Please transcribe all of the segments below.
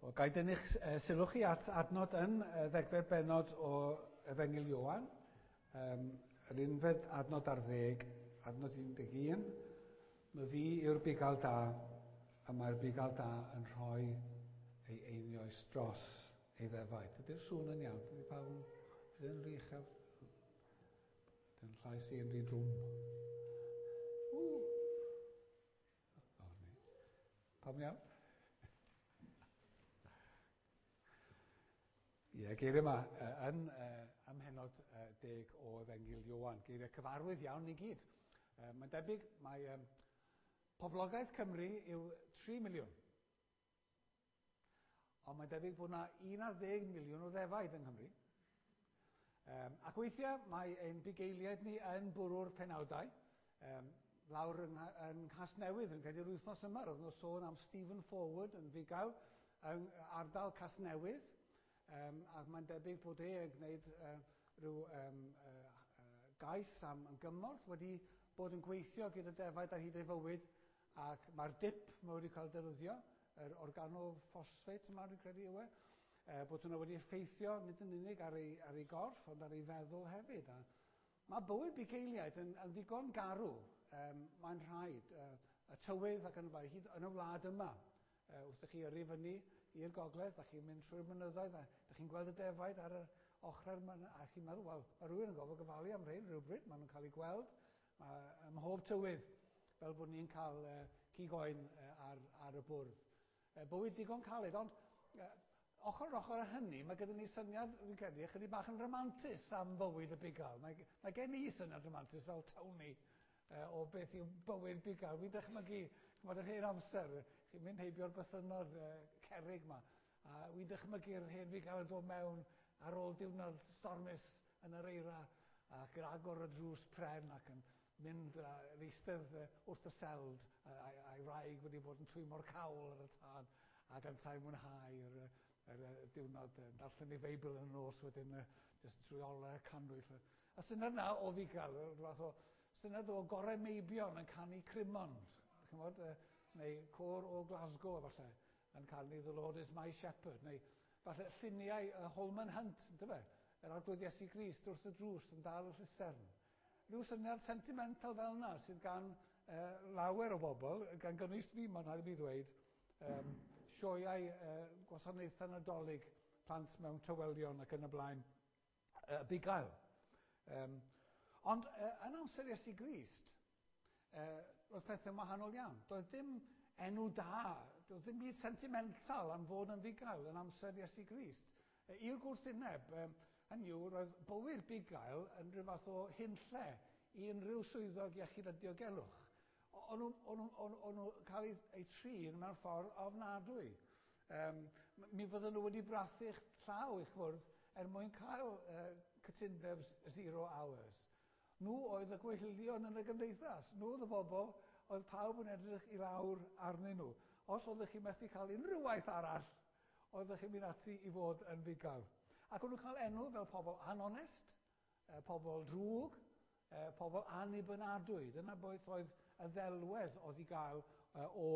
Wel, ga i dynnu'ch sylw chi at adnod yn ddegfed bennod o Efengyl Ioan, yr unfed adnod ar ddeg, adnod 11. My fi yw'r bugail da, a mae'r bugail da yn rhoi ei einioes dros ei ddefaid. Ydy'r sŵn yn iawn? Ydy pawb yn, yn rhy uchel? Dy'n llais i yn rhy drwm. Ww! Pawb yn iawn? Ie, geiriau yma yn ym mhennod 10 o Efengyl Ioan. Geiriau cyfarwydd iawn ni gyd. Mae'n debyg mae poblogaeth Cymru yw 3 miliwn. Ond mae'n debyg bod yna 11 miliwn o ddefaid yng Nghymru. Ac weithiau mae ein bugeiliaid ni yn bwrw'r penawdau. Lawr yng, yng Nghasnewydd, yn credu'r wythnos yma, roedd nhw'n sôn am Stephen Forward yn fugail yng ardal Casnewydd. Ac mae'n debyg bod e yn gwneud rhyw gais am gymorth, wedi bod yn gweithio gyda defaid ar hyd ei fywyd, ac mae'r dip mae wedi cael defnyddio, yr organophosphate yma, dwi'n credu yw e, bod hwnna wedi effeithio nid yn unig ar ei, ar ei gorff, ond ar ei feddwl hefyd. A mae bywyd bugeiliaid yn, yn ddigon garw, mae'n rhaid, y tywydd ac yn y blaen, hyd yn y wlad yma. Wrth i chi yrru fyny i'r gogledd, da chi'n mynd trwy'r mynyddoedd, a da chi'n gweld y defaid ar yr ochrau'r mynydd, a chi'n meddwl, wel, mae rhywun yn gofod gofalu am rhain rhywbryd, maen nhw'n cael eu gweld mae, ym mhob tywydd, fel bod ni'n cael cig oen ar, ar y bwrdd. Bywyd digon caled, ond ochr yn ochr â hynny, mae gyda ni syniad, fi'n credu, ychydig bach yn rhamantus am fywyd y bugail. Mae, mae gen i syniad rhamantus fel Tony o beth yw bywyd bugail. Fi'n dychmygu, chymod, yr hen amser, chi'n mynd heibio'r bythynnod cerrig yma, a wi'n dychmygu'r hen fugail yn dod mewn ar ôl diwrnod stormus yn yr eira, ac yn agor y drws pren ac yn mynd yn eistedd wrth y seld, a'i wraig wedi bod yn twymo'r cawl ar y tân, ac yntau'n mwynhau yr, yr, yr diwrnod, yn darllen ei Feibl yn y nos wedyn, jyst trwy olau cannwyll. Y syniad yna o fugail, rhyw fath o syniad o gorau meibion yn canu Crimond, chymod, neu côr o Glasgow efallai, yn canu The Lord is my Shepherd, neu falle lluniau Holman Hunt, yndyfe? Yr Arglwydd Iesu Grist wrth y drws yn dal y llusern. Rhyw syniad sentimental fel yna sydd gan lawer o bobl, gan gynnwys fi, mae'n rhaid i mi ddweud, sioeau gwasanaethau Nadolig, plant mewn tywelion ac yn y blaen, bugail. Ond yn amser Iesu Grist, roedd pethau'n wahanol iawn. Doedd dim enw da, doedd dim byd sentimental am fod yn fugail yn amser Iesu Grist. I'r gwrthwyneb, hynny yw, roedd bywyd bugail yn rhyw fath o hunlle i unrhyw swyddog iechyd a diogelwch. O'n nhw'n nhw, nhw, nhw cael eu, eu trin mewn ffordd ofnadwy. Mi fydden nhw wedi brathu'ch llaw i'ch fwrdd er mwyn cael cytundeb zero hours. Nhw oedd y gwehilion yn y gymdeithas. Nhw oedd y bobl oedd pawb yn edrych i lawr arnyn nhw. Os oeddech chi methu cael unrhyw waith arall, oeddech chi'n mynd ati i fod yn fugail. Ac o'n nhw'n cael enw fel pobl anonest, pobl drwg, pobl annibynadwy. Dyna beth oedd y ddelwedd oedd i gael o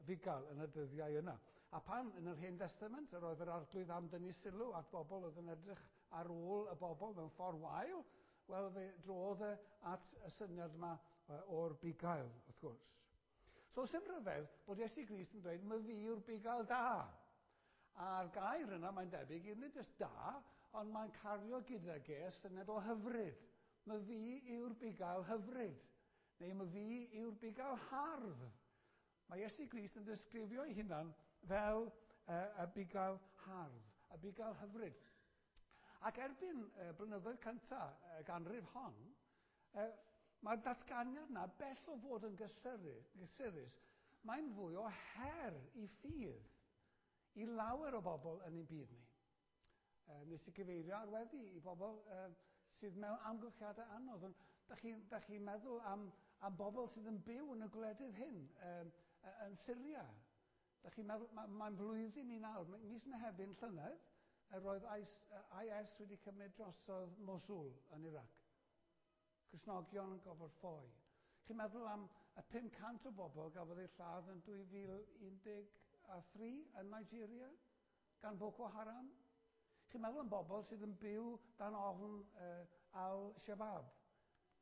fugail yn y dyddiau yna. A pan yn yr Hen Testament yr oedd yr Arglwydd am dynnu sylw at bobl oedd yn edrych ar ôl y bobl mewn ffordd wael, wel fe drodd e at y syniad yma o'r bugail, wrth gwrs. So, sy'n rhyfedd bod Iesu Grist yn dweud, my fi yw'r bugail da. A'r gair yna, mae'n debyg, yw nid jyst da, ond mae'n cario gyda ge syniad o hyfryd. My fi yw'r bugail hyfryd. Neu my fi yw'r bugail hardd. Mae Iesu Grist yn disgrifio ei hunan fel y bugail hardd, y bugail hyfryd. Ac erbyn blynyddoedd cyntaf y ganrif hon, mae'r datganiad yna bell o fod yn gysurus, mae'n fwy o her i ffydd i lawer o bobl yn ein byd ni. Nes i gyfeirio ar weddi i bobl sydd mewn amgylchiadau anodd. Ond da chi'n chi meddwl am, am bobl sydd yn byw yn y gwledydd hyn, yn Syria. Da chi'n meddwl, mae'n mae flwyddyn i nawr, mis Mehefin llynedd, roedd IS wedi cymryd drosodd Mosul yn Iraq. Cristnogion yn gofod ffoi. Chi'n meddwl am y 500 o bobl gafodd eu lladd yn 2013 yn Nigeria? gan Boko Haram? Chi'n meddwl am bobl sydd yn byw dan ofn Al-Shabaab,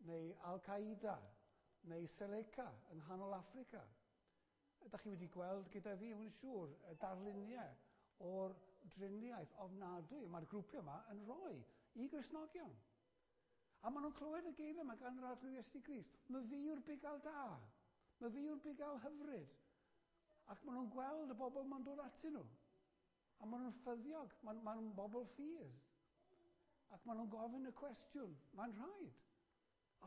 neu Al-Qaeda, neu Seleka yng nghanol Affrica. Ydych chi wedi gweld gyda fi, yn siŵr, y darluniau o'r driniaeth ofnadwy mae'r grwpiau yma yn rhoi i Gristnogion. A maen nhw'n clywed y geiriau yma gan yr Arglwydd Iesu Grist. "Mae fi yw'r bugail da. Mae fi yw'r bugail hyfryd." Ac maen nhw'n gweld y bobl ma'n dod atyn nhw. A maen nhw'n ffyddiog. Maen nhw'n bobl ffydd. Ac maen nhw'n gofyn y cwestiwn. Mae'n rhaid.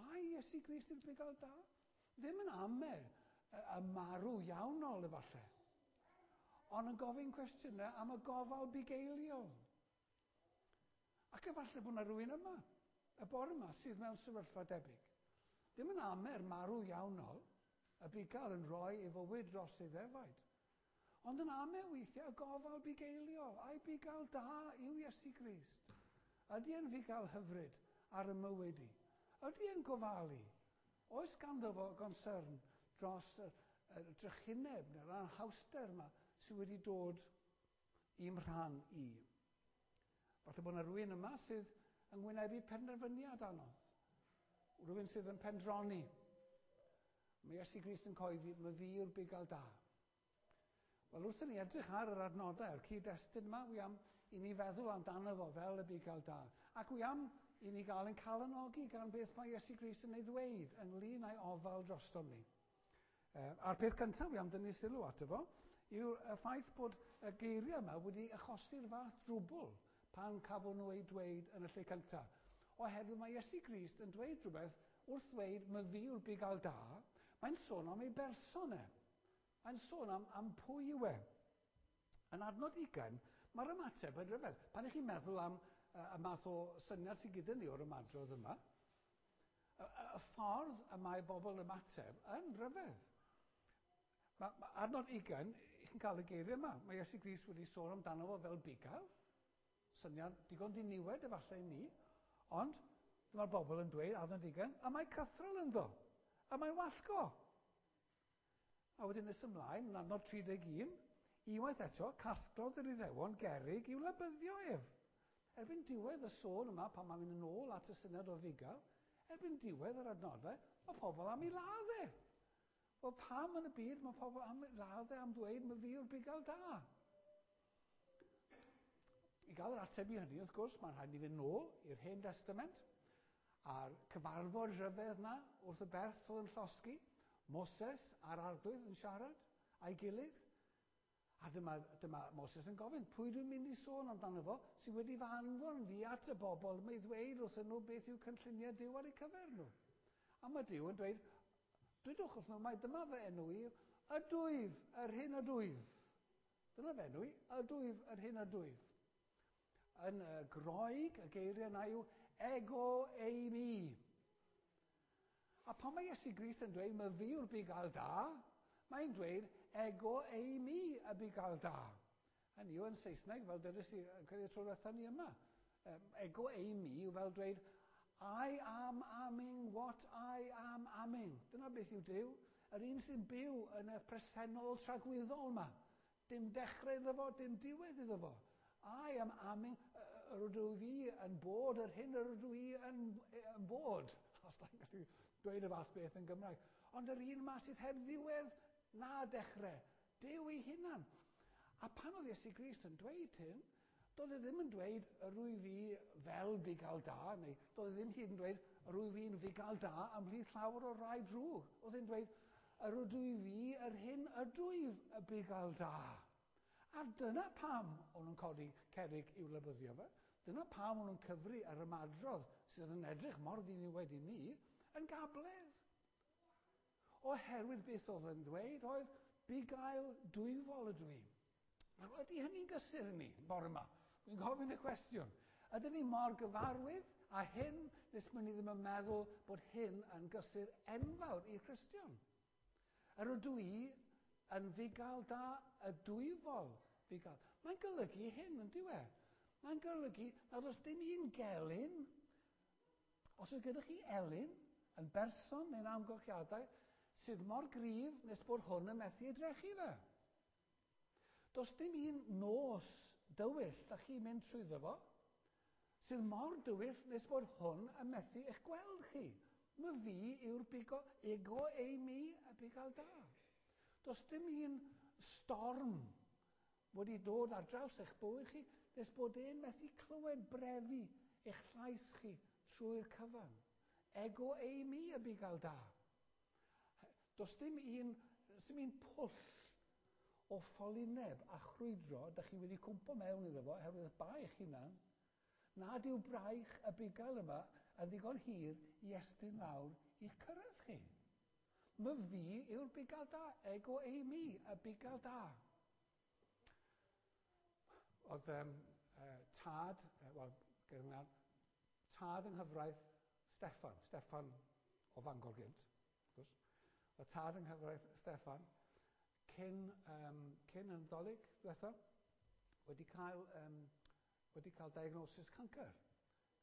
Ai Iesu Grist yw'r bugail da? Ddim yn ame y marw iawnol efallai, ond yn gofyn cwestiynau am y gofal bugeiliol. Ac efallai bod yna rhywun yma, y bore yma, sydd mewn sefyllfa debyg. Ddim yn ame'r marw iawnol, y bugail yn rhoi ei fywyd dros ei ddefaid. Ond yn ame weithiau y gofal bugeiliol. Ai bugail da yw Iesu Grist? Ydy e'n fugail hyfryd ar y mywyd i? Ydy e'n gofalu? Oes ganddo fo gonsyrn dros y drychineb neu'r anhawster yma sydd wedi dod i'm rhan i? Falle bod yna rhywun yma sydd yn wynebu penderfyniad anodd. Rhywun sydd yn pendroni. Mae Iesu Grist yn coeddi, "Mae fi yw'r bugail da." Wel, wrth i ni edrych ar yr adnodau, a'r cyd-destun yma, wi am i ni feddwl amdano fo fel y bugail da. Ac wi am i ni gael ein calonogi gan beth mae Iesu Grist yn ei ddweud ynglyn â'i ofal drostom ni. A'r peth cyntaf wi am dynnu sylw ato fo yw'r y ffaith bod y geiriau yma wedi achosi'r fath drwbl pan cafon nhw eu dweud yn y lle cyntaf. Oherwydd mae Iesu Grist yn dweud rhywbeth wrth ddweud, "Mae fi yw'r bugail da", mae'n sôn am ei berson e. Mae'n sôn am pwy yw e. Yn adnod 20, mae'r ymateb yn rhyfedd. Pan ych chi'n meddwl am y math o syniad sydd gyda ni o'r ymadrodd yma, y ffordd y mae bobl yn ymateb yn rhyfedd. Mae adnod 20, chi'n cael y geiriau yma. Mae Iesu Grist wedi sôn amdano fo fel bugail. Syniad digon diniwed efallai i ni. Ond dyma'r bobl yn dweud, adnod 20, "A mae cythrel ynddo. A mae'n wallgo." A wedyn nes ymlaen, yn adnod 31, "Unwaith eto, casglodd yr Iddewon gerig i'w labyddio ef." Erbyn diwedd y sôn yma, pan mae'n mynd yn ôl at y syniad o fugail, erbyn diwedd yr adnodau, mae pobl am ei ladd e. Wel, pam yn y byd mae pobl am ei ladd e am ddweud, "Mae fi yw'r bugail da"? I gael yr ateb i hynny, wrth gwrs, mae'n rhaid i fynd nôl i'r Hen Testament a'r cyfarfod rhyfedd na wrth y berth oedd yn llosgi, Moses a'r Arglwydd yn siarad a'i gilydd. A dyma Moses yn gofyn, "Pwy dwi'n mynd i sôn amdano fo sydd wedi fy anfon fi at y bobl mae ddweud wrthyn nhw beth yw cynlluniau Duw ar eu cyfer nhw?" A mae Duw yn dweud, "Dwedwch wrth nhw mai dyma fy enw i, Ydwyf yr hyn ydwyf. Dyna fy enw i, Ydwyf yr hyn ydwyf." Yn y Groeg, y geiriau yna yw ego eimi. A pan mae Iesu Grist yn dweud, "Mae fi yw'r bugail da", mae'n dweud, "Ego eimi y bugail da." Hynny yw, yn Saesneg, fel dydys i, credu tro diwetha ni yma, ego eimi yw fel dweud, "I am aming what I am aming." Dyna beth yw Duw. Yr un sy'n byw yn y presennol tragwyddol yma. Dim dechrau iddo fo, dim diwedd iddo fo. I am aming, yr ydw fi yn bod yr hyn yr ydw i yn bod. Os da chi'n gallu dweud y fath beth yn Gymraeg. Ond yr un yma sydd heb ddiwedd na dechrau. Duw ei hunan. A pan oedd Iesu Grist yn dweud hyn, doedd e ddim yn dweud "yr wyf fi fel bugail da", neu doedd e ddim hyd yn dweud "yr wyf fi'n fugail da ymhlith llawer o rai drwg". Oedd e'n dweud, "Yr ydw fi yr hyn ydwyf y bugail da." A dyna pam o'n nhw'n codi cerig i'w labyddio fe. Dyna pam o'n nhw'n cyfri yr ymadrodd sydd yn edrych mor ddiniwed i ni yn gabledd. Oherwydd beth oedd yn dweud oedd, "Bugail dwyfol ydw i." Nawr, ydy hynny'n gysur i ni, bore yma? Dwi'n gofyn y cwestiwn. Ydyn ni mor gyfarwydd â hyn nes bod ni ddim yn meddwl bod hyn yn gysur enfawr i'r Cristion? Yr ydw i yn fugail da, y dwyfol fugail. Mae'n golygu hyn, yn dyw e? Mae'n golygu nad oes dim un gelyn, os oes gyda chi elyn, yn berson neu'n amgylchiadau, sydd mor gryf nes bod hwn yn methu ei drechu fe. Does dim un nos dywyll da chi'n mynd trwyddo fo, sydd mor dywyll nes bod hwn yn methu eich gweld chi. My fi yw'r bigo, ego eimi, y bugail da. Does dim un storm wedi dod ar draws eich bywyd chi nes bod e'n methu clywed brefu eich llais chi trwy'r cyfan. Ego eimi, y bugail da. Does dim un pwll o ffolineb a chrwydro da chi wedi cwmpo mewn iddo fo oherwydd bai eich hunan, nad yw braich y bugail yma yn ddigon hir i estyn lawr i'ch cyrraedd chi. My fi yw'r bugail da, ego eimi, y bugail da. Oedd tad, wel, tad yng nghyfraith Steffan, Steffan o Fangor gynt, wrth gwrs. Oedd tad yng nghyfraith Steffan, cyn y Nadolig diwetha, wedi cael diagnosis cancer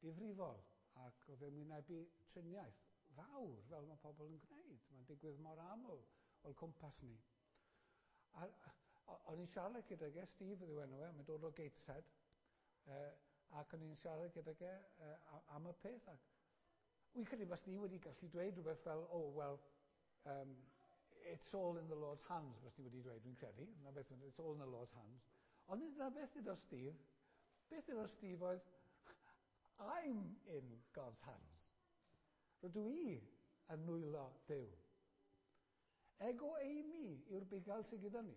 difrifol, ac oedd e'n wynebu triniaeth fawr, fel mae pobl yn gwneud. Mae'n digwydd mor aml o'r cwmpas ni. A o'n i'n siarad gydag e, Steve yw enw e, mae'n dod o Gateshead, ac o'n i'n siarad gydag e am y peth. Ac wy'n credu fas ni wedi gallu dweud rhywbeth fel, "Oh, well, it's all in the Lord's hands," fas ni wedi dweud, dwi'n credu. Na beth, "It's all in the Lord's hands." Ond nid dyna beth ddudodd Steve. Beth ddudodd Steve oedd, "I'm in God's hands. Rydw i yn nwylo Duw." Ego eimi yw'r bugail sydd gyda ni.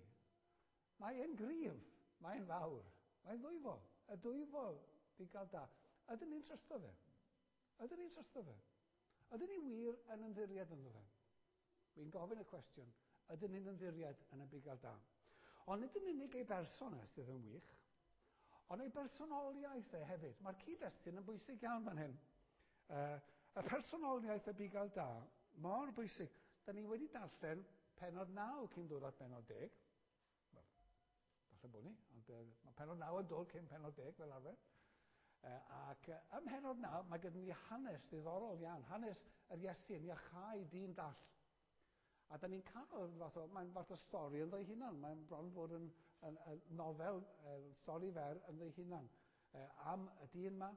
Mae e'n gryf, mae'n fawr, mae'n ddwyfol, y dwyfol bugail da. Ydyn ni'n trysto fe? Ydyn ni'n trysto fe? Ydyn ni wir yn ymddiried ynddo fe? Wy'n gofyn y cwestiwn, ydyn ni'n ymddiried yn y bugail da? Ond nid yn unig ei berson e sydd yn wych, ond ei bersonoliaeth e hefyd. Mae'r cyd-destun yn bwysig iawn fan hyn. Y personoliaeth y bugail da, mor bwysig. Da ni wedi darllen penod 9 cyn dod at benod 10. Wel, falle bod ni, ond mae penod 9 yn dod cyn penod 10 fel arfer. Ac ym mhenod 9, mae gyda ni hanes ddiddorol iawn, hanes yr Iesu yn iachau dyn dall. A da ni'n cael fath o, mae'n fath o stori ynddo ei hunan. Mae'n bron fod yn nofel, stori fer ynddo ei hunan. Am y dyn yma,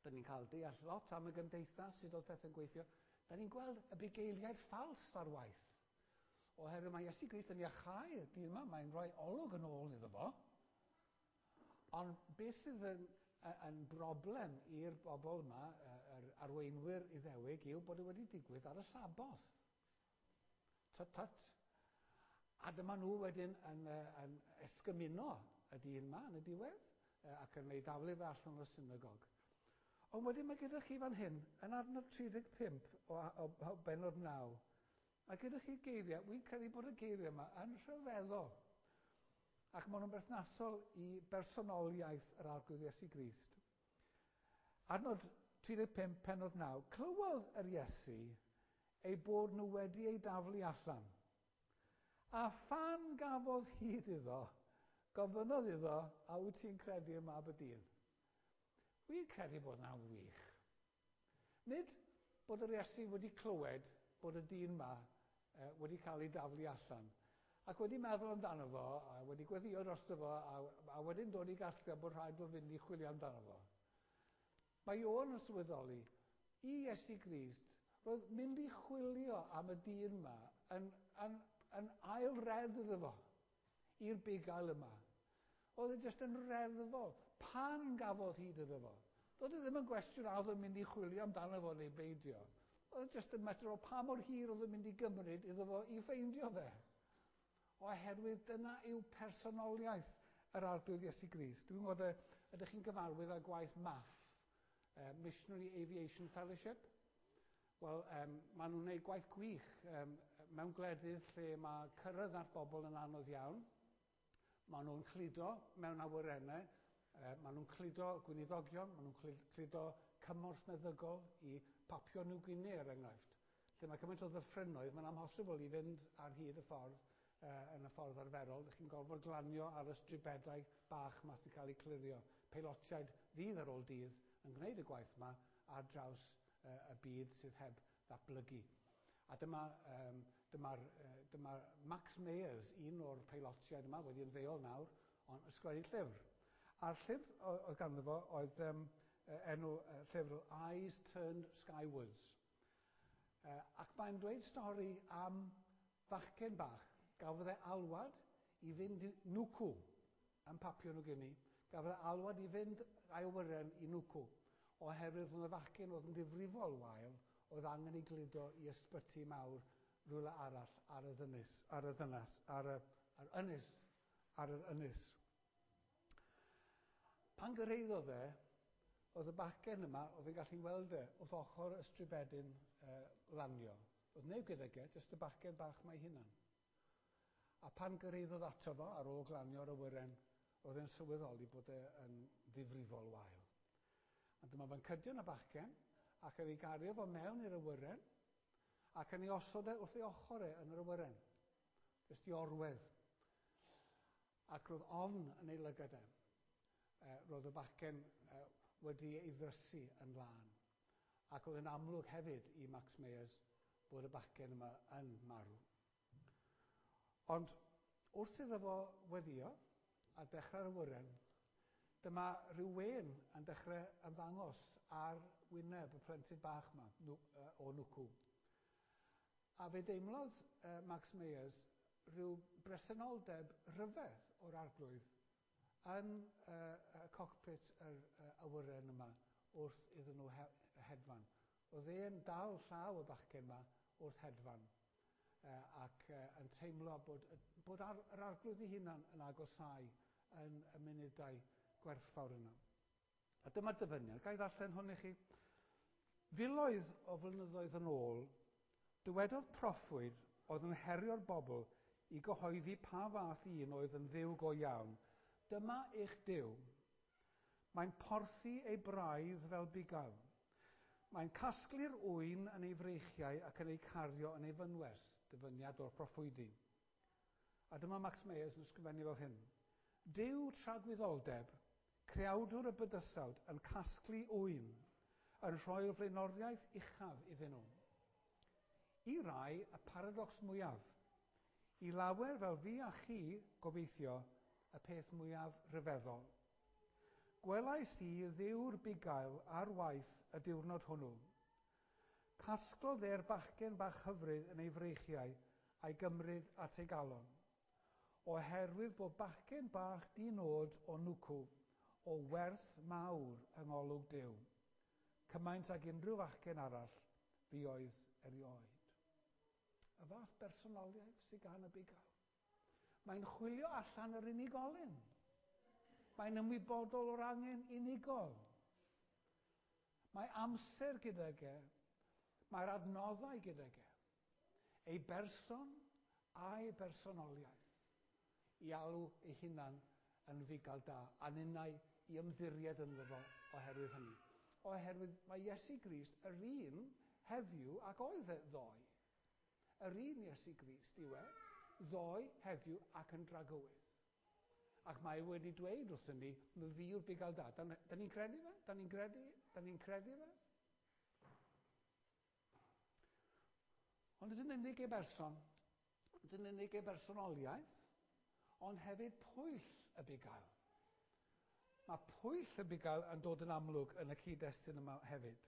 da ni'n cael deall lot am y gymdeithas, sut oedd pethau'n gweithio. Da ni'n gweld y bugeiliaid ffals ar waith. Oherwydd mae Iesu Grist yn iachau y dyn yma, mae'n rhoi olwg yn ôl iddo fo. Ond beth sydd yn broblem i'r bobl yma, yr arweinwyr Iddewig, yw bod e wedi digwydd ar y Saboth. Tut tut. A dyma nhw wedyn yn esgymuno y dyn yma yn y diwedd ac yn ei daflu fe allan o'r synagog. Ond wedyn mae gyda chi fan hyn, yn adnod 35 o benod 9, mae gyda chi geiriau, wy'n credu bod y geiriau yma yn rhyfeddol. Ac maen nhw'n berthnasol i bersonoliaeth yr Arglwydd Iesu Grist. Adnod 35, penod 9, clywodd yr Iesu ei bod nhw wedi ei daflu allan. A phan gafodd hyd iddo, gofynnodd iddo, "A wyt ti'n credu ym Mab y Dyn?" Wy'n credu bod yna'n wych. Nid bod yr Iesu wedi clywed bod y dyn yma wedi cael ei daflu allan, ac wedi meddwl amdano fo, a wedi gweddio drosto fo, a wedyn dod i gasgliad bod rhaid o fynd i chwilio amdano fo. Mae Ioan yn sylweddoli, i Iesu Grist, roedd mynd i chwilio am y dyn yma yn ail redd iddo fo, i'r bugail yma. Oedd e jyst yn reddfol. Pan gafodd hyd iddo fo. Doedd e ddim yn gwestiwn a oedd yn mynd i chwilio amdano fo neu beidio. Oedd e jyst yn mater o pa mor hir oedd yn mynd i gymryd iddo fo i ffeindio fe. Oherwydd dyna yw personoliaeth yr Arglwydd Iesu Grist. Dwi'n gwybod, ydych chi'n gyfarwydd â gwaith MAF, Missionary Aviation Fellowship? Wel, maen nhw'n gwneud gwaith gwych mewn gwledydd lle mae cyrraedd at bobl yn anodd iawn. Maen nhw'n cludo mewn awyrennau, maen nhw'n cludo gweinidogion, maen nhw'n cludo cymorth meddygol i Papua New Guinea, er enghraifft. Lle mae cymaint o ddyffrynoedd, mae'n amhosibl i fynd ar hyd y ffordd yn y ffordd arferol. Dych chi'n gorfod glanio ar y stribedau bach ma sy'n cael eu clirio. Peilotiaid ddydd ar ôl dydd yn gwneud y gwaith yma ar draws y byd sydd heb ddatblygu. A dyma Max Mayers, un o'r peilotiaid yma, wedi ymddeol nawr, ond ysgrifennu llyfr. A'r llyfr oedd ganddo fo oedd enw llyfr Eyes Turned Skywards. Ac mae'n dweud stori am fachgen bach gafodd e alwad i fynd i Nwcw yn Papua New Guinea. Gafodd e alwad i fynd a'i awyren i Nwcw oherwydd oedd y fachgen oedd yn ddifrifol wael oedd angen ei gludo i ysbyty mawr rhywle arall ar y ddynys, ar y ddynas, ar y, ar ynys, ar yr ynys. Pan gyrhaeddodd e, oedd y bachgen yma, oedd e'n gallu weld e wrth ochr y stribedyn lanio. Oedd neb gydag e, jyst y bachgen bach mae hunan. A pan gyrhaeddodd ato fo ar ôl glanio'r awyren, oedd e'n sylweddoli bod e yn ddifrifol wael. A dyma fo'n cydio yn y bachgen, ac yn ei gario fo mewn i'r awyren, ac yn ei osod e wrth ei ochr e yn yr awyren. Jyst i orwedd. Ac roedd ofn yn ei lygad e. Roedd y bachgen wedi ei ddrysu yn lân. Ac oedd yn amlwg hefyd i Max Meyers bod y bachgen yma yn marw. Ond wrth iddo fo weddio a dechrau'r awyren, dyma rhyw wên yn dechrau ymddangos ar wyneb y plentyn bach yma o Nwcw. A fe deimlodd Max Meyers rhyw bresenoldeb rhyfedd o'r arglwydd yn y cockpit yr awyren yma wrth iddyn nhw hedfan. Oedd e'n dal llaw y bachgen yma wrth hedfan ac yn teimlo bod yr arglwydd ei hunan yn agosáu yn y munudau gwerthfawr yna. A dyma'r dyfyniad. Ga i ddarllen hwn i chi? Filoedd o flynyddoedd yn ôl, dywedodd proffwyd oedd yn herio'r bobl i gyhoeddi pa fath un oedd yn ddiw go iawn. Dyma eich Duw. Mae'n porthi ei braidd fel bugail. Mae'n casglu'r ŵyn yn ei freichiau ac yn ei cario yn ei fynwes, dyfyniad o'r proffwydi. A dyma Max Meyers yn ysgrifennu fel hyn. Duw tragwyddoldeb, creawdwr y bydysawd yn casglu ŵyn, yn rhoi'r flaenoriaeth uchaf iddyn nhw. I rai, y paradox mwyaf. I lawer fel fi a chi, gobeithio, y peth mwyaf rhyfeddol. Gwelais i ddiw'r bugail ar waith y diwrnod hwnnw. Casglodd e'r bachgen bach hyfryd yn ei freichiau a'i gymryd at ei galon. Oherwydd bod bachgen bach di-nod o Nwcw o werth mawr yng ngolwg Duw, cymaint ag unrhyw fachgen arall fuodd erioed. Y fath bersonoliaeth sydd gan y bugail. Mae'n chwilio allan yr unigolyn. Mae'n ymwybodol o'r angen unigol. Mae amser gydag e. Mae'r adnoddau gydag e. Ei berson a'i bersonoliaeth i alw ei hunan yn fugail da, a ninnau i ymddiried ynddo fo oherwydd hynny. Oherwydd mae Iesu Grist yr un heddiw ac oedd e ddoe. Yr un Iesu Grist yw e, ddoe, heddiw ac yn dragywydd. Ac mae wedi dweud wrthyn ni, my fi yw'r bugail da. Da ni'n credu fe? Da ni'n credu? Da ni'n credu fe? Ond nid yn unig ei berson, nid yn unig ei bersonoliaeth, ond hefyd pwyll y bugail. Mae pwyll y bugail yn dod yn amlwg yn y cyd-destun yma hefyd.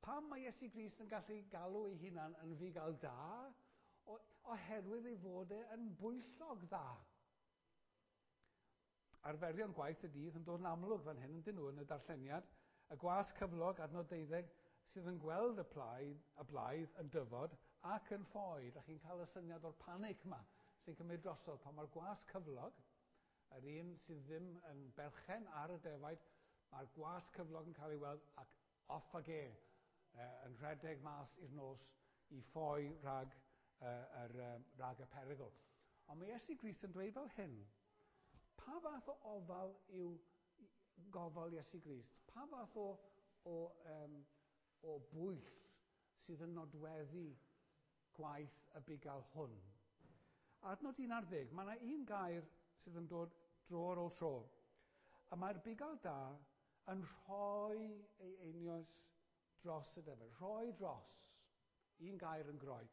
Pam mae Iesu Grist yn gallu galw ei hunan yn fugail da? Oherwydd ei fod e yn bwyllog dda. Arferion gwaith y dydd yn dod yn amlwg fan hyn, yndyn nhw, yn y darlleniad. Y gwas cyflog, adnod 12, sydd yn gweld y blaidd yn dyfod ac yn ffoi. Dach chi'n cael y syniad o'r panic yma sy'n cymryd drosodd pan mae'r gwas cyflog, yr un sydd ddim yn berchen ar y defaid, mae'r gwas cyflog yn cael ei weld ac off ag e, yn rhedeg mas i'r nos i ffoi rhag y perygl. Ond mae Iesu Grist yn dweud fel hyn, pa fath o ofal yw gofal Iesu Grist? Pa fath o bwyll sydd yn nodweddu gwaith y bugail hwn? Adnod 11, mae yna un gair sydd yn dod dro ar ôl tro. A mae'r bugail da yn rhoi ei einioes dros y defaid. Rhoi dros. Un gair yn Groeg.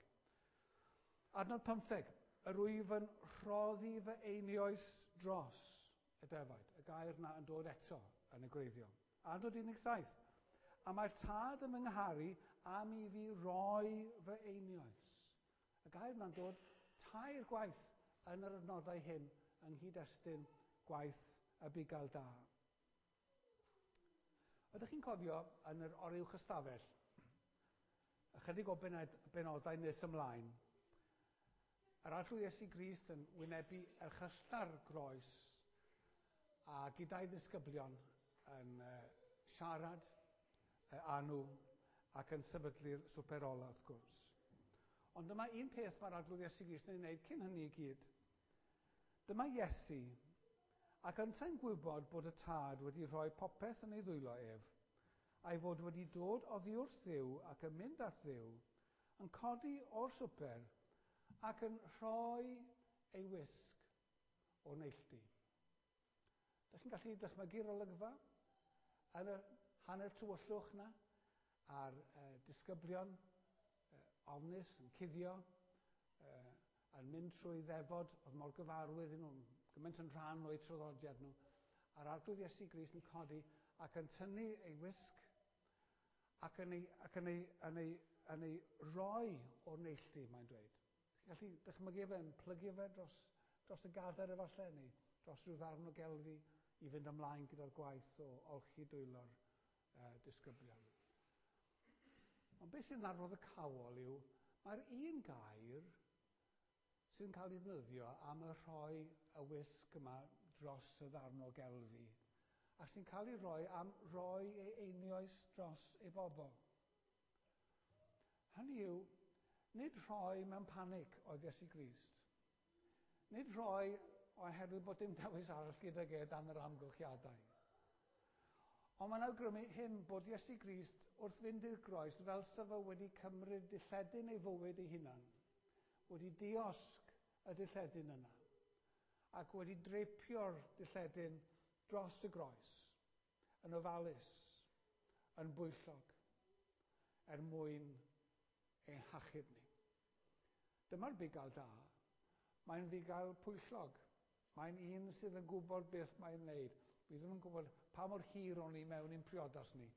Adnod 15, yr wyf yn rhoddi fy einioes dros y defaid. gair na yn dod eto yn y gwreiddiol. Adnod 17. A mae'r tad yn fy ngharu am i fi roi fy einioes. Y gair yna'n dod tair gwaith yn yr adnodau hyn yng nghyd-destun gwaith y bugail da. Ydych chi'n cofio yn yr oruwch ystafell, ychydig o benodau nes ymlaen, yr Arglwydd Iesu Grist yn wynebu erchyllta'r groes a gyda'i ddisgyblion yn siarad â nhw ac yn sefydlu'r swper ola wrth gwrs. Ond dyma un peth mae'r Arglwydd Iesu Grist yn ei wneud cyn hynny i gyd. Dyma Iesu, ac yntau'n gwybod bod y Tad wedi rhoi popeth yn ei ddwylo ef, a'i fod wedi dod oddi wrth Dduw ac yn mynd at Dduw, yn codi o'r swper ac yn rhoi ei wisg o'r neilltu. Dych chi'n gallu dychmygu'r olygfa yn y hanner tywyllwch na, a'r disgyblion ofnus yn cuddio, yn mynd trwy ddefod oedd mor gyfarwydd i nhw, gymaint yn rhan o'u traddodiad nhw, a'r Arglwydd Iesu Grist yn codi ac yn tynnu ei wisg ac yn ei, ac yn ei, yn ei, yn ei roi o'r neilltu, mae'n dweud. Chi'n gallu dychmygu fe yn plygu fe dros, dros y gadair efallai, neu dros rhyw ddarn o gelfi i fynd ymlaen gyda'r gwaith o olchi dwylo'r disgyblion. Ond beth sy'n arwyddocaol yw, mae'r un gair sy'n cael ei ddefnyddio am y rhoi y wisg yma dros y ddarn o gelfi, ac sy'n cael ei roi am roi ei einioes dros ei bobl. Hynny yw, nid rhoi mewn panic oedd Iesu Grist. Nid rhoi oherwydd bod dim dewis arall gydag e dan yr amgylchiadau. Ond mae'n awgrymu hyn bod Iesu Grist wrth fynd i'r groes fel sa fo wedi cymryd dilledyn ei fywyd ei hunan, wedi diosg y dilledyn yna, ac wedi dreipio'r dilledyn dros y groes, yn ofalus, yn bwyllog, er mwyn ein hachub ni. Dyma'r bugail da. Mae'n fugail pwyllog. Mae'n un sydd yn gwybod beth mae'n wneud. Fi ddim yn gwybod pa mor hir o'n i mewn i'n priodas ni,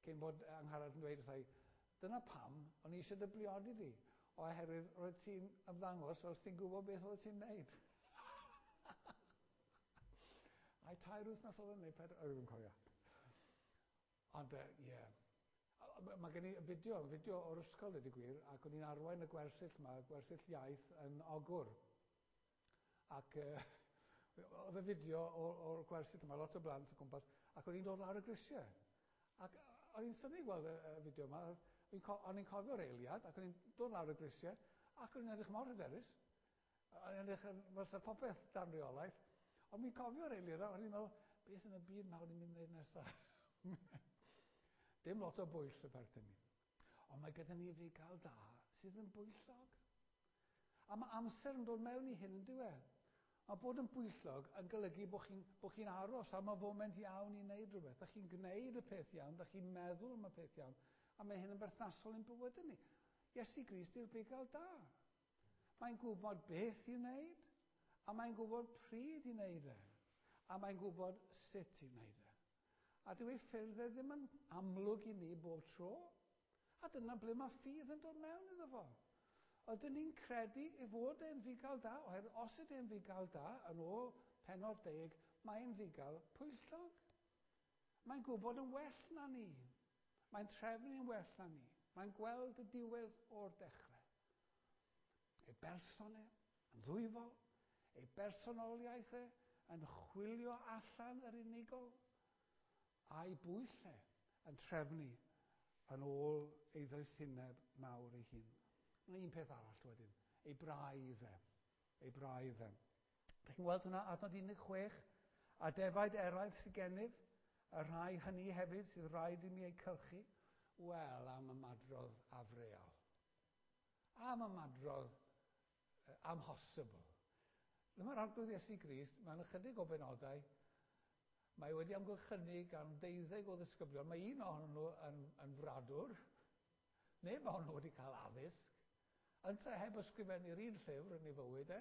cyn bod Angharad yn dweud wrtha i, dyna pam o'n i eisiau dy briodi di, oherwydd roedd ti'n ymddangos fel ti'n gwybod beth oedd ti'n wneud. Ai 3 wythnos oedd yn neu 4, o, ddim yn cofio. Ond, ie. Yeah. Mae gen i fideo, fideo o'r ysgol, dweud y gwir, ac o'n i'n arwain y gwersyll yma, gwersyll iaith yn Ogwr. Ac oedd y fideo o'r gwersyll yma, lot o blant o gwmpas, ac o'n i'n dod lawr y grisiau. Ac o'n i'n synnu gweld y fideo yma, o'n i'n cofio'r eiliad, ac o'n i'n dod lawr y grisiau, ac o'n i'n edrych mor hyderus. O'n i'n edrych yn fel sa popeth dan reolaeth, ond mi'n cofio'r eiliad, o'n i'n meddwl, beth yn y byd mawr ni'n mynd i wneud nesaf? Dim lot o bwyll y perthyn ni. Ond mae gyda ni fugail da sydd yn bwyllog. A mae amser yn dod mewn i hyn yn dyw e. Mae bod yn bwyllog yn golygu bod chi'n bo chi aros am y foment iawn i wneud rhywbeth. Da chi'n gwneud y peth iawn, da chi'n meddwl am y peth iawn, a mae hyn yn berthnasol i'n bywyd ni. Iesu Grist yw'r bugail da. Mae'n gwybod beth i wneud, a mae'n gwybod pryd i wneud e, a mae'n gwybod sut i wneud e. A dyw ei ffyrdd e ddim yn amlwg i ni bob tro. A dyna ble mae ffydd yn dod mewn iddo fo. Ydyn ni'n credu ei fod e'n fugail da, oherwydd os ydy e'n fugail da, yn ôl pennod 10, mae'n fugail pwyllog. Mae'n gwybod yn well na ni. Mae'n trefnu'n well na ni. Mae'n gweld y diwedd o'r dechrau. Ei berson e, yn ddwyfol, ei bersonoliaeth e, yn chwilio allan yr unigol, a'i bwyll e yn trefnu yn ôl ei ddoethineb mawr ei hun. Mae un peth arall wedyn, ei braidd e. Ei braidd e. Dych chi'n gweld hwnna, adnod 16, a defaid eraill sydd gennyf, y rhai hynny hefyd sydd rhaid i mi eu cylchu, wel, am ymadrodd afreal. Am ymadrodd amhosibl. Dyma'r Arglwydd Iesu Grist, mewn ychydig o benodau, mae wedi amgylchynu gan 12 o ddisgyblion. Mae un ohonyn nhw yn fradwr, neb ohonyn nhw wedi cael addysg, yntau heb ysgrifennu'r un llyfr yn ei fywyd e,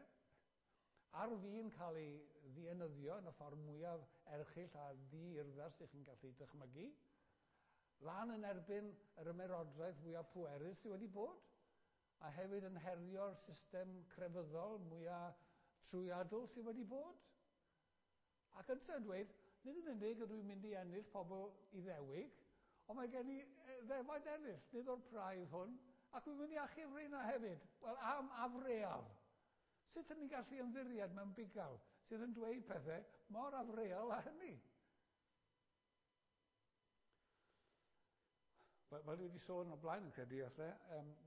ar fin cael ei ddienyddio yn y ffordd mwyaf erchyll a ddi-urddas ych chi'n gallu dychmygu, lan yn erbyn yr ymerodraeth fwyaf pwerus sydd wedi bod, a hefyd yn herio'r system crefyddol mwyaf trwyadl sydd wedi bod. Ac yntau'n dweud, nid yn unig ydw i'n mynd i ennill pobl Iddewig, ond mae gen i ddefaid eraill, nid o'r praidd hwn, ac dwi'n mynd i achub rheina hefyd. Wel, am afreal. Sut ydyn ni'n gallu ymddiried mewn bugail sydd yn dweud pethau mor afreal â hynny? Fel dwi wedi sôn o blaen yn credu, falle,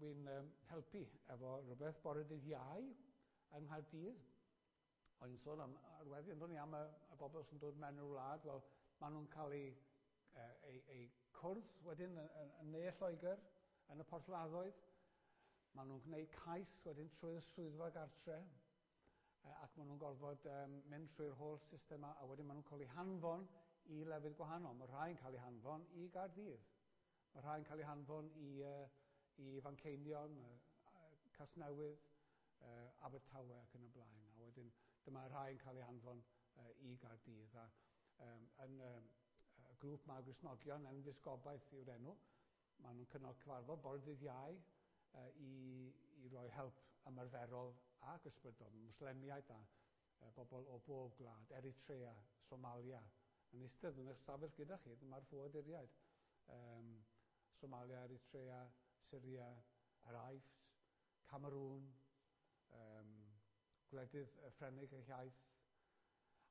wy'n helpu efo rhywbeth bore dydd Iau yng Nghaerdydd. O'n i'n sôn am arweddi, ond o'n i am y bobl sy'n dod mewn i'r wlad, wel, maen nhw'n cael eu cwrdd wedyn yn ne Lloegr, yn y porthladdoedd. Maen nhw'n gwneud cais wedyn trwy'r swyddfa gartre, ac maen nhw'n gorfod mynd trwy'r holl system, a wedyn maen nhw'n cael eu hanfon i lefydd gwahanol. Mae rhai'n cael eu hanfon i Gaerdydd. Mae rhai'n cael eu hanfon i Fanceinion, Casnewydd, Abertawe ac yn y blaen. A wedyn dyma rhai'n cael eu hanfon i Gaerdydd. A yn y grŵp ma Gristnogion, Enfys Gobaith yw'r enw, maen nhw'n cynnal cyfarfod bore dydd Iau i roi help ymarferol ac ysbrydol. Mwslemiaid a bobl o bob gwlad, Eritrea, Somalia, yn eistedd yn eich stafell gyda chi, dyma'r ffoaduriaid. Somalia, Eritrea, Syria, yr Aifft, Cameroon, gwledydd Ffrengig eu hiaith.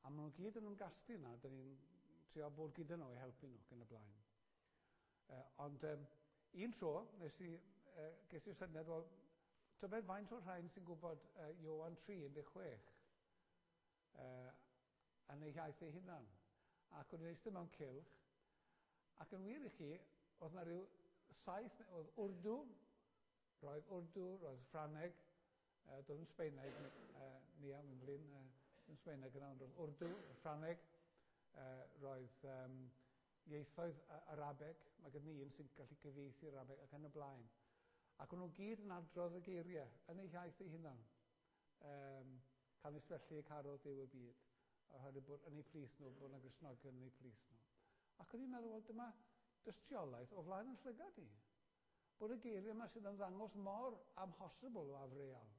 A maen nhw gyd yn ymgasglu yna, dyn ni'n trio bod gyda nhw i helpu nhw ac yn y blaen. Ond un tro, ges i'r syniad, wel, tybed faint o'r rhain sy'n gwybod Ioan 3:16 yn ei iaith ei hunan. Ac o'n i'n eistedd mewn cylch, ac yn wir i chi, oedd na rhyw 7, oedd Wrdw, roedd Ffrangeg, doedd yn Sbeineg, Nia, mae'n flin, yn Sbeineg yna, ond roedd Wrdw, Ffrangeg, roedd ieithoedd Arabeg, mae gen i un sy'n gallu cyfieithu'r Arabeg ac yn y blaen. Ac o'n nhw gyd yn adrodd y geiriau yn eu hiaith eu hunan. Canys felly y carodd Duw y byd, oherwydd bod yn eu plith nhw, bod yna Gristnogion yn eu plith nhw. Ac o'n i'n meddwl, wel, dyma dystiolaeth o flaen yn llygad i. Bod y geiriau yma sydd yn ddangos mor amhosibl o afreal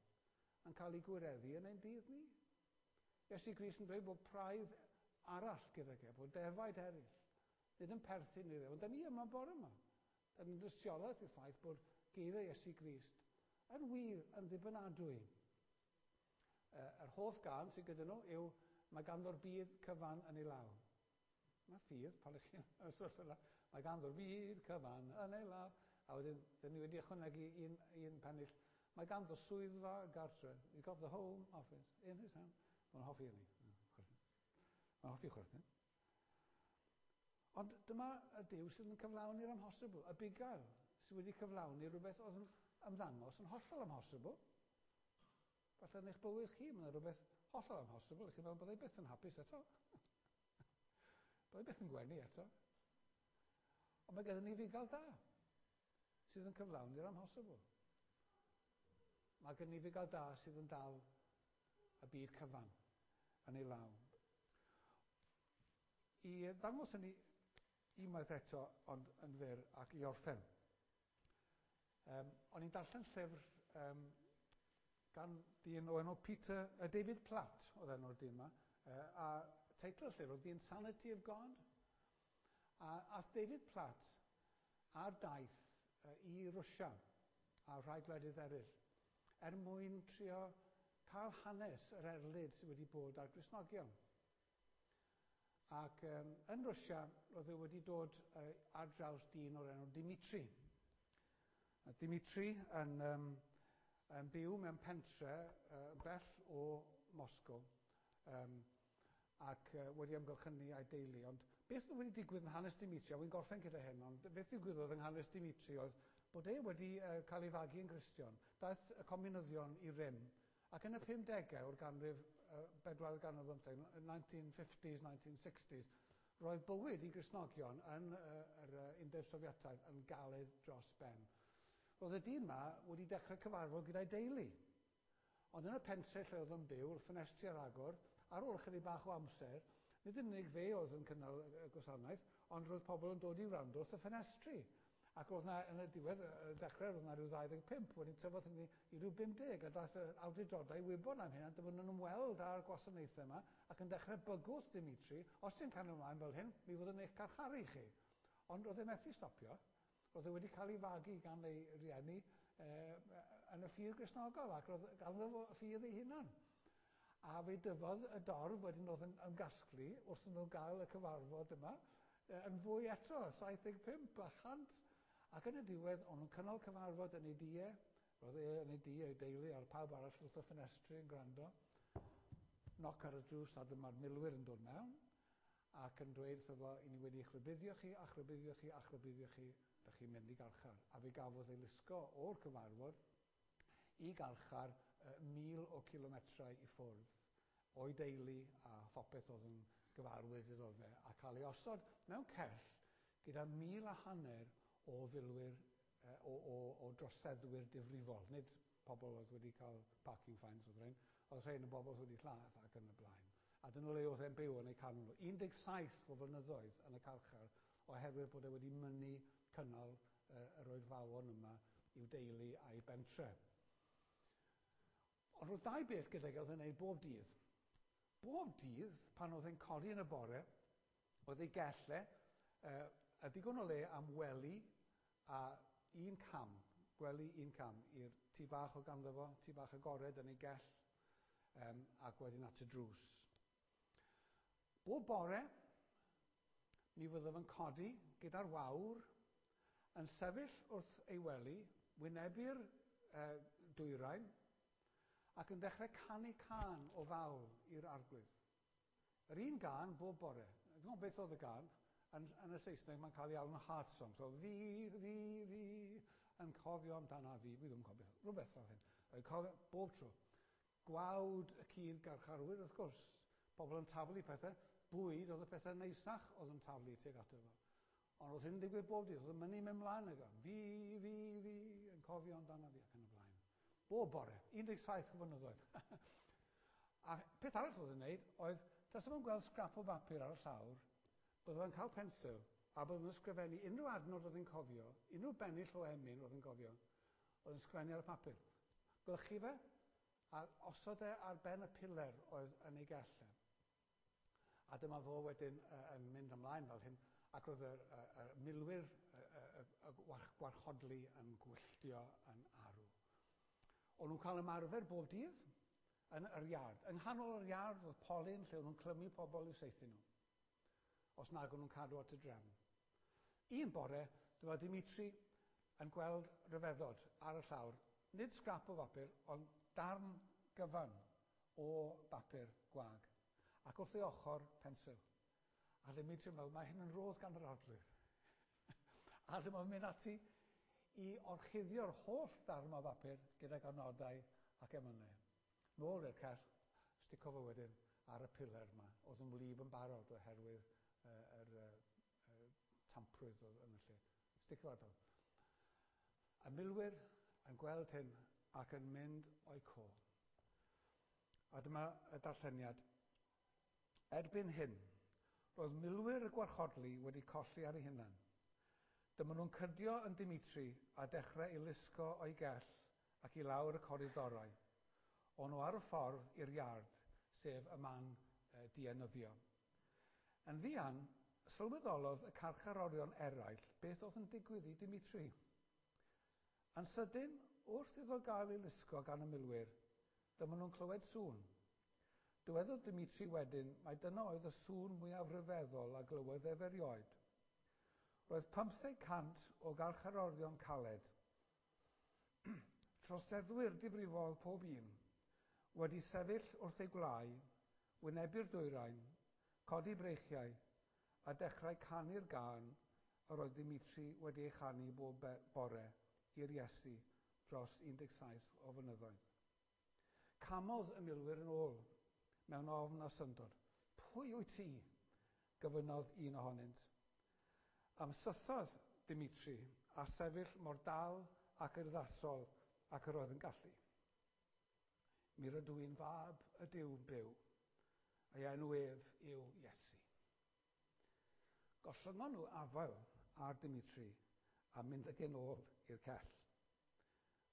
yn cael ei gwireddu yn ein dydd ni. Iesu Grist yn dweud bod praidd arall gydag e, bod defaid eraill, nid yn perthyn iddo. Ond da ni yma bore yma. Da ni'n dystiolaeth i'r ffaith bod geiriau Iesu Grist yn wir yn ddibynadwy. Yr hoff gân sydd gyda nhw yw mae ganddo'r byd cyfan yn ei law. Mae ffydd, pan ych chi'n y sefyllfa yna, mae ganddo'r byd cyfan yn ei law. A wedyn, dyn ni wedi ychwanegu un pennill. Mae ganddo swyddfa gartre. He's got the home office in his hand. Mae'n hoffi hynny. Mae'n hoffi chwerthin. Ond dyma y Duw sydd yn cyflawni'r amhosibl, y bugail sydd wedi cyflawni rhywbeth oedd yn ymddangos yn hollol amhosibl. Falle yn eich bywyd chi, mae yna rhywbeth hollol amhosibl. Chi'n meddwl, byddai byth yn hapus eto. Byddai byth yn gwenu eto. Ond mae gennym ni fugail da sydd yn cyflawni'r amhosibl. Mae gennym ni fugail da sydd yn dal y byd cyfan yn ei law. I ddangos hynny unwaith eto, ond yn fyr ac i orffen. O'n i'n darllen llyfr gan dyn o enw David Platt, oedd enw'r dyn yma, a teitl y llyfr oedd The Insanity of God. A ath David Platt ar daith i Rwsia a rhai gwledydd eraill er mwyn trio cael hanes yr erlid sydd wedi bod ar Gristnogion. Ac yn Rwsia, roedd e wedi dod ar draws dyn o'r enw Dimitri. A Dimitri yn byw mewn pentre bell o Moscow ac wedi amgylchynu a'i deulu. Ond beth oedd wedi digwydd yn hanes Dimitri, a wy'n gorffen gyda hyn, ond beth ddigwyddodd yng hanes Dimitri oedd bod e wedi cael ei fagu yn Gristion. Daeth y comunyddion i rym, ac yn y 50au o'r ganrif, bedwaredd ganrif bymtheg, 1950s, 1960s, roedd bywyd i Gristnogion yn yr Undeb Sofietaidd yn galed dros ben. Roedd y dyn yma wedi dechrau cyfarfod gyda'i deulu. Ond yn y pentre lle oedd yn byw, wrth ffenestri ar agor, ar ôl ychydig bach o amser, nid yn unig fe oedd yn cynnal y gwasanaeth, ond roedd pobl yn dod i wrando wrth y ffenestri. Ac roedd 'na, yn y diwedd, y dechrau, roedd 'na rhyw 25, wedyn tyfodd hynny i ryw 50, a daeth yr awdurdodau i wybod am hyn, a dyma nhw'n ymweld â'r gwasanaethau yma, ac yn dechrau bygwth Dimitri, os ti'n cario ymlaen fel hyn, mi fyddwn eich carcharu chi. Ond roedd e methu stopio. Roedd e wedi cael ei fagu gan ei rieni yn y ffydd Gristnogol, ac roedd ganddo fo ffydd ei hunan. A fe dyfodd y dorf wedyn oedd yn ymgasglu wrth nhw gael y cyfarfod yma, yn fwy eto, 75 a 100. Ac yn y diwedd, o'n nhw'n cynnal cyfarfod yn ei dŷ, roedd e yn ei dŷ, ei deulu a'r pawb arall wrth y ffenestri yn gwrando. Knock ar y drws a dyma'r milwyr yn dod mewn ac yn dweud wrtho fo, i ni wedi eich rhybuddio chi, a'ch rhybuddio chi, a'ch rhybuddio chi, dych chi'n mynd i garchar. A fe gafodd ei lusgo o'r cyfarfod i garchar 1,000 o cilometrau i ffwrdd o'i deulu a phopeth oedd yn gyfarwydd iddo fe, a cael ei osod mewn cell gyda 1,500 o filwyr, o, o, o droseddwyr difrifol, nid pobl oedd wedi cael parking fines oedd rhain, oedd rhain yn bobl oedd wedi lladd ac yn y blaen. A dyna le oedd e'n byw yn eu canol nhw. 17 o flynyddoedd yn y carchar oherwydd bod e wedi mynnu cynnal yr oedfaon yma i'w deulu a'i bentre. Ond roedd dau beth gydag e oedd e'n neud bob dydd. Bob dydd, pan oedd e'n codi yn y bore, oedd ei gell e, a digon o le am wely a un cam, gwely un cam, i'r tŷ bach o ganddo fo, tŷ bach agored yn ei gell, ac wedyn at y drws. Bob bore, mi fyddaf yn codi gyda'r wawr, yn sefyll wrth ei wely, wynebu'r dwyrain, ac yn dechrau canu cân o fawl i'r Arglwydd. Yr un gân bob bore. Dwi'n gwybod beth oedd y gân. Yn, yn y Saesneg mae'n cael ei alw'n heart song. So fi, fi, fi, yn cofio amdana fi. Fi ddim yn cofio. Rhywbeth fel hyn. Yn cofio bob tro. Gwawd y cyd garcharwyr, wrth gwrs. Pobl yn taflu pethau. Bwyd oedd y pethau neisach oedd yn taflu tuag ato fo. Ond oedd hyn yn digwydd bob dydd. Oedd yn mynnu mynd mlaen ag o. Fi, fi, fi, yn cofio amdana fi ac yn y blaen. Bob bore, 17 o flynyddoedd. A peth arall oedd yn gwneud oedd, tasa fo'n gweld sgrap o bapur ar y llawr, bydde fo'n cael pensil a bydde fo'n ysgrifennu unrhyw adnod oedd yn cofio, unrhyw bennill o emyn oedd yn cofio, oedd yn sgrifennu ar y papur. Glychu fe a osod e ar ben y piler oedd yn ei gell e. A dyma fo wedyn yn mynd ymlaen fel hyn, ac roedd y, y, y milwyr y, y, y gwarchodlu yn gwylltio yn arw. O'n nhw'n cael ymarfer bob dydd yn yr iard. Yng nghanol yr iard oedd polyn lle o'n nhw'n clymu pobl i'w saethu nhw, os nag o'n nhw'n cadw at y drefn. Un bore, dyma Dimitri yn gweld rhyfeddod ar y llawr, nid sgrap o bapur, ond darn gyfan o bapur gwag, ac wrth ei ochr, pensil. A Dimitri yn meddwl, mae hyn yn rodd gan yr Arglwydd. A dyma fo'n mynd ati i orchuddio'r holl ddarn o bapur gydag anodau ac emynau. Nôl i'r cell, stico fo wedyn ar y piler yma, oedd yn wlyb yn barod oherwydd yr tamprwydd oedd yn y lle. Stico fo ar do. Y milwyr yn gweld hyn ac yn mynd o'i co. A dyma y darlleniad. Erbyn hyn, roedd milwyr y gwarchodlu wedi colli ar eu hunan. Dyma nhw'n cydio yn Dimitri a dechrau ei lusgo o'i gell ac i lawr y coridorau. O'n nhw ar y ffordd i'r iard, sef y man dienyddio. Yn fuan, sylweddolodd y carcharorion eraill beth oedd yn digwydd i Dimitri. Yn sydyn, wrth iddo gael ei lusgo gan y milwyr, dyma nhw'n clywed sŵn. Dywedodd Dimitri wedyn mai dyna oedd y sŵn mwyaf rhyfeddol a glywodd ef erioed. Roedd 500 o garcharorion caled, troseddwyr difrifol pob un, wedi sefyll wrth eu gwlâu, wynebu'r dwyrain, codi breichiau, a dechrau canu'r gân yr oedd Dimitri wedi ei chanu bob bore i'r Iesu dros 17 o flynyddoedd. Camodd y milwyr yn ôl, mewn ofn a syndod. Pwy wyt ti? Gofynnodd un ohonynt. Ymsythodd Dimitri a sefyll mor dal ac urddasol ac yr oedd yn gallu. Mi rydw i'n fab y Duw byw, a'i enw ef yw Iesu. Gollyngon nhw afael ar Dimitri a mynd ag e'n ôl i'r cell.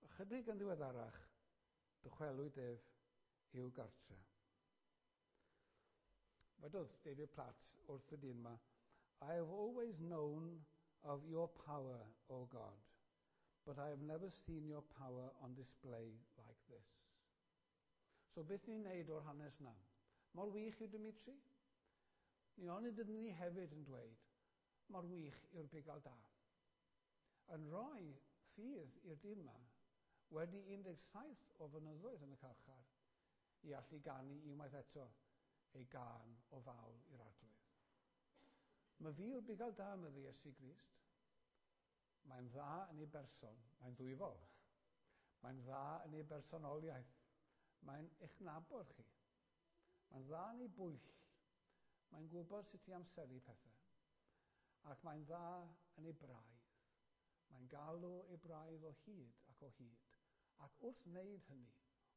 Ychydig yn ddiweddarach, dychwelwyd ef i'w gartre. Wedodd David Platt wrth y dyn yma, "I have always known of your power, O God, but I have never seen your power on display like this." So beth ni'n neud o'r hanes na? Mor wych yw Dimitri? Ni onid ydyn ni hefyd yn dweud, mor wych yw'r bugail da? Yn rhoi ffydd i'r dyn yma, wedi 17 o flynyddoedd yn y carchar, i allu ganu unwaith eto ei gân o fawl i'r Arglwydd. Mae fi yw'r bugail da, medde Iesu Grist. Mae'n dda yn ei berson, mae'n ddwyfol. Mae'n dda yn ei bersonoliaeth. Mae'n eich nabod chi. Mae'n dda yn ei bwyll. Mae'n gwybod sut i amseru pethau. Ac mae'n dda yn ei braidd. Mae'n galw ei braidd o hyd ac o hyd. Ac wrth wneud hynny,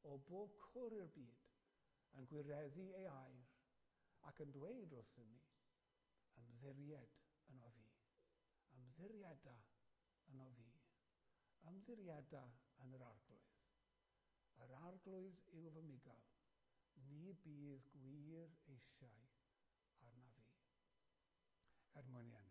o bob cwr i'r byd, yn gwireddu ei air ac yn dweud wrthym ni, ymddiried yno fi. Ymddirieda yno fi. Ymddirieda yn yr Arglwydd. Yr Arglwydd yw fy mugail. Ni bydd gwir eisiau arna fi. Er mwyn ei enw.